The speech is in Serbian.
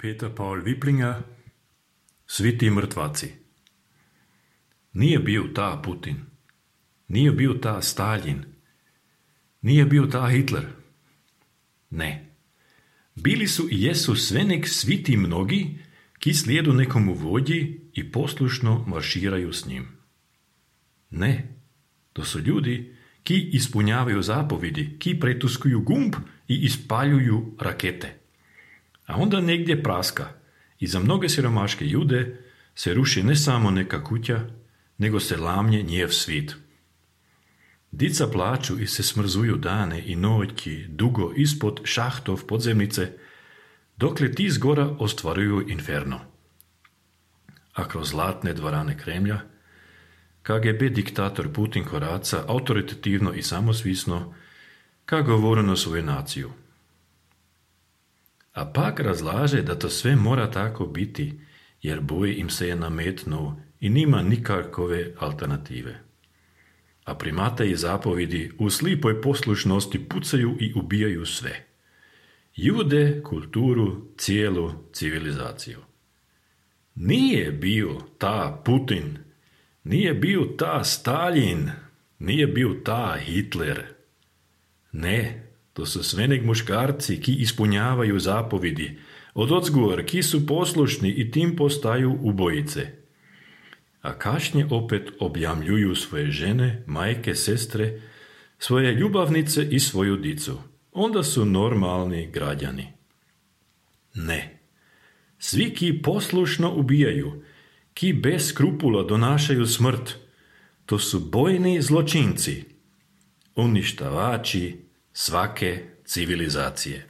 Peter Paul Viplinger, Svi ti mrtvaci. Nije bio ta Putin, nije bio ta Stalin, nije bio ta Hitler. Ne. Bili su i jesu sve nek svi ti mnogi, ki slijedu nekomu vođi i poslušno marširaju s njim. Ne. To su ljudi ki ispunjavaju zapovidi, ki pretuskuju gumb i ispaljuju rakete. A onda negdje praska i za mnoge siromaške ljude se ruši ne samo neka kuća, nego se lamnje njev svit. Dica plaču i se smrzuju dane i noći dugo ispod šahtov podzemnice, dokle ti zgora ostvaruju inferno. A kroz zlatne dvorane Kremlja, KGB diktator Putin koraca autoritativno i samosvisno ka govoru na svoju naciju. A pak razlaže da to sve mora tako biti, jer boj im se je nametnuo i nima nikakove alternative. A primate i zapovidi u slipoj poslušnosti pucaju i ubijaju sve. Ljude, kulturu, cijelu civilizaciju. Nije bio ta Putin, nije bio ta Stalin, nije bio ta Hitler. Ne, to su sve nek muškarci ki ispunjavaju zapovidi, od odzgor ki su poslušni i tim postaju ubojice. A kašnje opet objamljuju svoje žene, majke, sestre, svoje ljubavnice i svoju dicu. Onda su normalni građani. Ne. Svi ki poslušno ubijaju, ki bez skrupula donašaju smrt, to su bojni zločinci, uništavači svake civilizacije.